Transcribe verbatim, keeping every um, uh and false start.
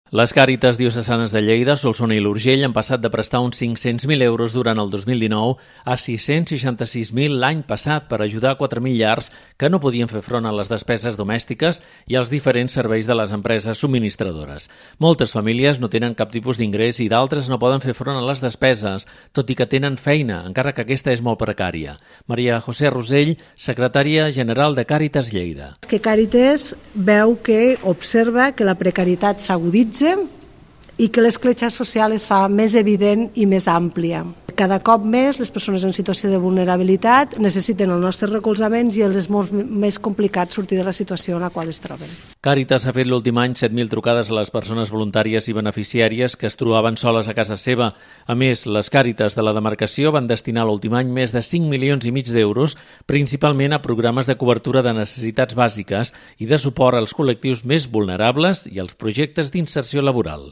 Les Càritas diocesanes de Lleida, Solsona i l'Urgell han passat de prestar uns cinc-cents mil euros durant el dos mil dinou a sis-cents seixanta-sis mil l'any passat per ajudar quatre mil llars que no podien fer front a les despeses domèstiques i als diferents serveis de les empreses subministradores. Moltes famílies no tenen cap tipus d'ingrés i d'altres no poden fer front a les despeses, tot i que tenen feina, encara que aquesta és molt precària. Maria José Rosell, secretària general de Càritas Lleida. Que Càritas veu que observa que la precarietat s'aguditza i que l'escletxa social es fa més evident i més àmplia. Cada cop més les persones en situació de vulnerabilitat necessiten el nostre recolzament i els és molt més complicat sortir de la situació en la qual es troben. Càritas ha fet l'últim any set mil trucades a les persones voluntàries i beneficiàries que es trobaven soles a casa seva. A més, les Càritas de la demarcació van destinar l'últim any més de cinc milions i mig d'euros, principalment a programes de cobertura de necessitats bàsiques i de suport als col·lectius més vulnerables i als projectes d'inserció laboral.